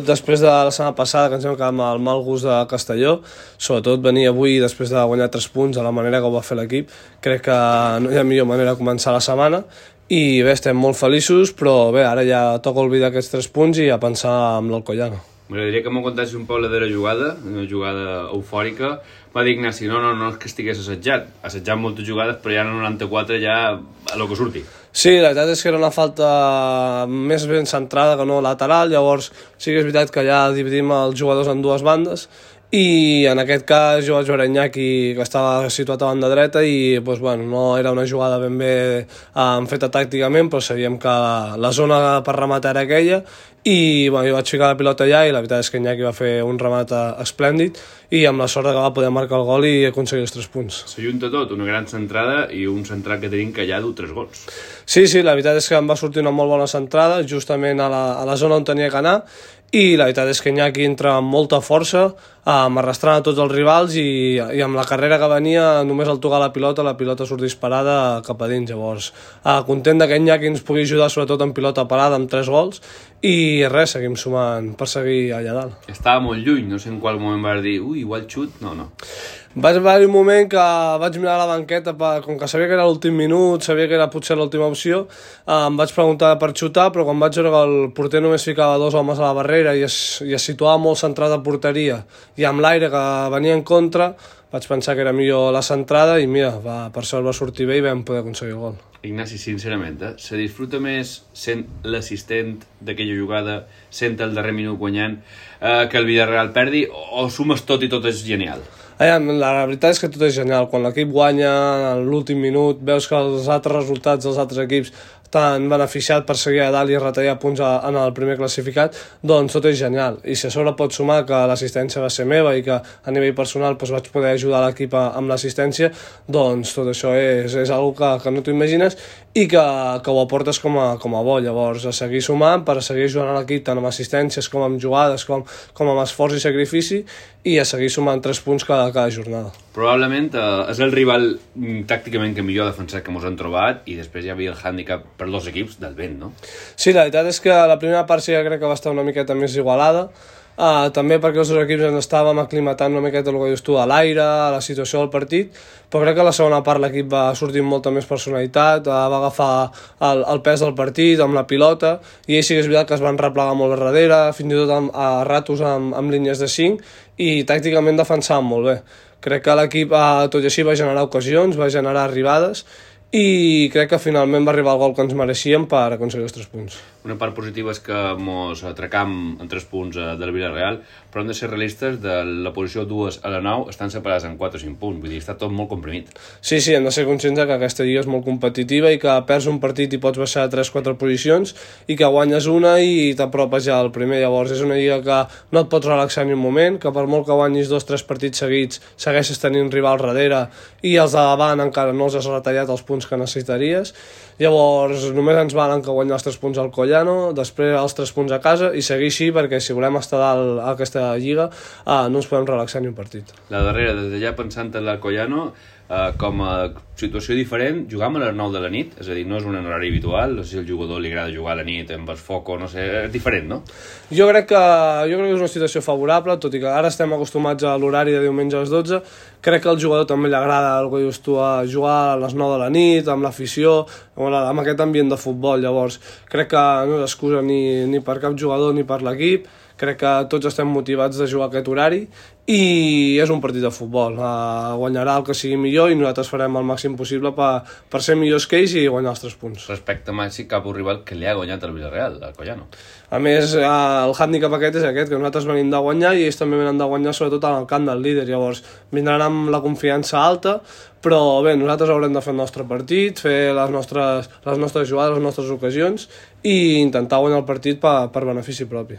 Després de la setmana passada, que ens vam quedar amb el mal gust de Castelló, sobretot venir avui després de guanyar 3 punts de la manera que ho va fer l'equip, crec que no hi ha millor manera de començar la setmana i bé, estem molt feliços, però bé, ara ja toca oblidar aquests 3 punts i a pensar en l'Alcoyano. M'agradaria que m'ho contessis un poc la darrera jugada, una jugada eufòrica. Va dir Ignasi, no és que estigués assajat moltes jugades, però ja en el 94 ja a lo que surti. Sí, la veritat és que era una falta més ben centrada que no lateral, llavors sí que és veritat que ja dividim els jugadors en dues bandes i en aquest cas jo vaig veure Iñaki que estava situat a banda dreta i doncs, bueno, no era una jugada ben bé feta tàcticament, però sabíem que la zona per rematar era aquella i bueno, jo vaig ficar la pilota allà i la veritat és que Iñaki va fer un remat esplèndid i amb la sort que va poder marcar el gol i aconseguir els 3 punts. S'ajunta tot, una gran centrada i un central que tenim que ja du 3 gols. Sí, la veritat és que em va sortir una molt bona centrada justament a la zona on tenia que anar i la veritat és que Iñaki entra amb molta força, arrastrant a tots els rivals i amb la carrera que venia només al tocar la pilota surt disparada cap a dins. Llavors, content que Iñaki ens pugui ajudar sobretot en pilota parada amb 3 gols i res, seguim sumant per seguir allà dalt. Estava molt lluny, no sé en qual moment vas dir igual xut, no. Va haver un moment que vaig mirar a la banqueta, com que sabia que era l'últim minut, sabia que era potser l'última opció, em vaig preguntar per xutar, però quan vaig veure que el porter només ficava 2 homes a la barrera i es situava molt centrat a porteria i amb l'aire que venia en contra, vaig pensar que era millor la centrada i mira, per sort va sortir bé i vam poder aconseguir el gol. Ignasi, sincerament, se disfruta més sent l'assistent d'aquella jugada, sent el darrer minut guanyant, que el Villarreal perdi, o sumes tot i tot és genial? La veritat és que tot és genial. Quan l'equip guanya en l'últim minut, veus que els altres resultats dels altres equips t'han beneficiat per seguir a dalt i retallar punts en el primer classificat, doncs tot és genial. I si a sobre pots sumar que l'assistència va ser meva i que a nivell personal doncs, vaig poder ajudar l'equip amb l'assistència, doncs tot això és algo que no t'ho imagines i que ho aportes com a bo. Llavors, a seguir sumant per a seguir ajudant l'equip tant amb assistències com amb jugades, com amb esforç i sacrifici i a seguir sumant 3 punts cada jornada. Probablement és el rival tàcticament que millor defensat que ens han trobat i després hi havia el hàndicap per 2 equips del vent, no? Sí, la veritat és que la primera part sí que crec que va estar una miqueta més igualada, també perquè els 2 equips ens estàvem aclimatant una miqueta el que dius tu, a l'aire, a la situació del partit, però crec que a la segona part l'equip va sortir amb molta més personalitat, va agafar el pes del partit amb la pilota i ells sí que és veritat que es van replegar molt darrere, fins i tot a ratos amb línies de 5 i tàcticament defensaven molt bé. Crec que l'equip tot i així va generar ocasions, va generar arribades i crec que finalment va arribar el gol que ens mereixíem per aconseguir els 3 punts. Una part positiva és que ens atracam en 3 punts del Villarreal, però hem de ser realistes, de la posició 2 a la 9 estan separats en 4 o 5 punts, vull dir, està tot molt comprimit. Sí, hem de ser conscients que aquesta lliga és molt competitiva i que perds un partit i pots baixar a 3-4 posicions i que guanyes una i t'apropes ja al primer. Llavors és una lliga que no et pots relaxar ni un moment, que per molt que guanyis 2-3 partits seguits segueixes tenint rival darrere i els de davant encara no els has retallat els punts que necessitaries. Llavors només ens valen que guanyar els 3 punts al Collano, després els 3 punts a casa i seguir així perquè si volem estar dalt a aquesta lliga no ens podem relaxar ni un partit. La darrera, des d'allà pensant en el Collano, com a situació diferent, jugam a les 9 de la nit, és a dir, no és un horari habitual, no sé si al jugador li agrada jugar a la nit amb el foco, no sé, és diferent, no? Jo crec que és una situació favorable, tot i que ara estem acostumats a l'horari de diumenge a les 12, crec que al jugador també li agrada el que dius tu, a jugar a les 9 de la nit, amb l'afició, amb aquest ambient de futbol. Llavors crec que no és excusa ni per cap jugador ni per l'equip, crec que tots estem motivats de jugar aquest horari i és un partit de futbol, guanyarà el que sigui millor i nosaltres farem el màxim possible per ser millors que ells i guanyar els 3 punts. Respecte màxim cap a un rival que li ha guanyat el Villarreal, el Collano. A més, el hàndicap aquest és aquest, que nosaltres venim de guanyar i ells també venen de guanyar sobretot en el camp del líder, llavors vindran amb la confiança alta, però bé, nosaltres haurem de fer el nostre partit, fer les nostres jugades, les nostres ocasions i intentar guanyar el partit per benefici propi.